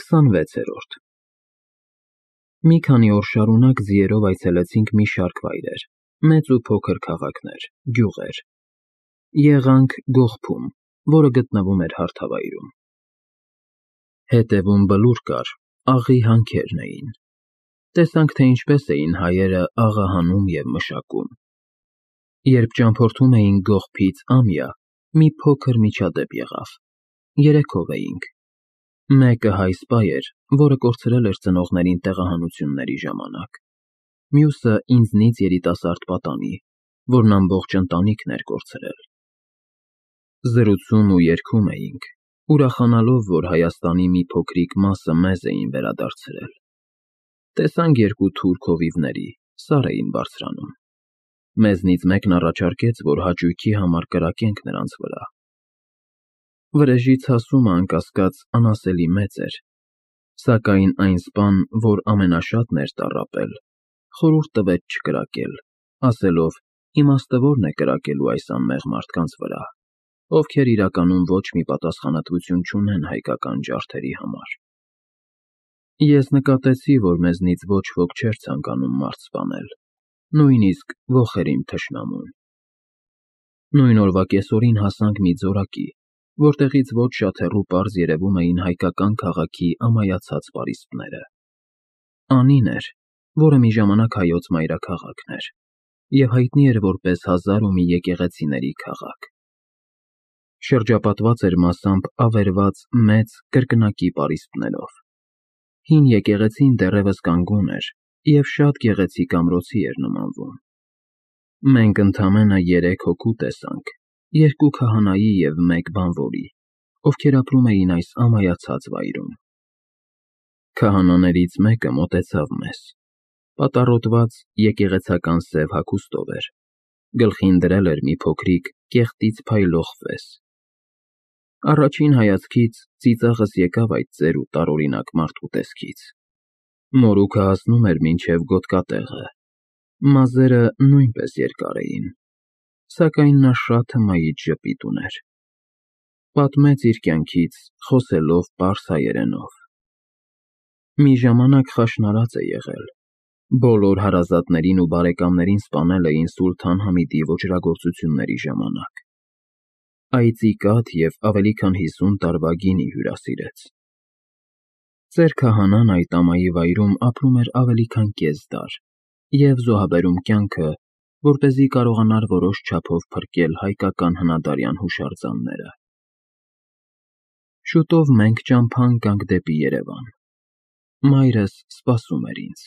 26-րդ Մի քանի օր շարունակ ձիերով այցելեցինք մի շարք վայրեր, մեծ ու փոքր քաղաքներ, գյուղեր։ Եղանք Գողթում, որը գտնվում էր հարթավայրում։ Հետևում բլուր կար, աղի հանքերն էին։ Տեսանք, թե ինչպես էին հայերը աղահանում և մշակում։ Երբ ճամփորդում էինք Գողթից Ամիա, մի փոքր միջադեպ եղավ։ 3-ով էինք։ Մեկը հայ սպա էր, որը կորցրել էր ծնողներին տեղահանությունների ժամանակ։ Մյուսը ինձնից երիտասարդ պատանի, որն ամբողջ ընտանիքն էր կորցրել։ Զրուցում ու երգում էինք, ուրախանալով, որ Հայաստանի մի փոքրիկ մասը մեզ էին վերադարձրել։ Տեսանք 2 թուրք հովիվների, սար էին բարձրանում։ Մեզնից մեկն առաջարկեց, որ հաճույքի համար կրակենք նրանց վրա։ Վրեժի ցասումը, անկասկած, անասելի մեծ էր, սակայն այն սպան, որ ամենաշատն էր տառապել, խորհուրդ տվեց չկրակել, ասելով. իմաստը ո՞րն է կրակելու այս անմեղ մարդկանց վրա, ովքեր իրականում ոչ մի պատասխանատվություն չունեն հայկական ջարդերի համար։ Ես նկատեցի, որ մեզնից ոչ ոք չէր ցանկանում մարդ սպանել, նույնիսկ ոխեր իմ թշնամուն։ Նույն օրվա կեսօրին հասանք մի ձորակի, որտեղից ոչ շատ հեռու պարզ երևում էին հայկական քաղաքի ամայացած պարիսպները։ Անին էր, որը մի ժամանակ հայոց մայրաքաղաքն էր, և հայտնի էր որպես 1001 եկեղեցիների քաղաք։ Շրջապատված էր մասամբ ավերված մեծ կրկնակի պարիսպներով։ Հին եկեղեցին դեռևս կանգուն էր և շատ գեղեցիկ ամրոցի էր նմանվում։ Մենք ընդամենը 3 հոգու տեսանք, 2 քահանայի և 1 բանվորի, ովքեր ապրում էին այս ամայացած վայրում։ Քահանաներից մեկը մոտեցավ մեզ։ Պատառոտված եկեղեցական սև հագուստով էր, գլխին դրել էր մի փոքրիկ կեղտից փայլող ֆես։ Առաջին հայացքից ծիծաղս եկավ այդ ծեր ու տարօրինակ մարդու տեսքից։ Մորուքը հասնում էր մինչև գոտկատեղը, մազերը նույնպես երկար էին, սակայն նա շատ հմայիչ ժպիտ ուներ։ Պատմեց իր կյանքից, խոսելով պարս հայերենով։ Մի ժամանակ խաշնարած է եղել։ Բոլոր հարազատներին ու բարեկամներին սպանել էին Սուլթան Համիդի ոճրագործությունների ժամանակ։ Այծի կաթ և ավելի քան 50 տարվա գինի հյուրասիրեց։ Ծեր քահանան այդ ամայի վայրում ապրում էր ավելի քան կես դար և զոհաբերում կյանքը, որպեսզի կարողանար որոշ չափով փրկել հայկական հնադարյան հուշարձանները։ Շուտով մենք ճամփա ընկանք դեպի Երևան։ Մայրս սպասում էր ինձ։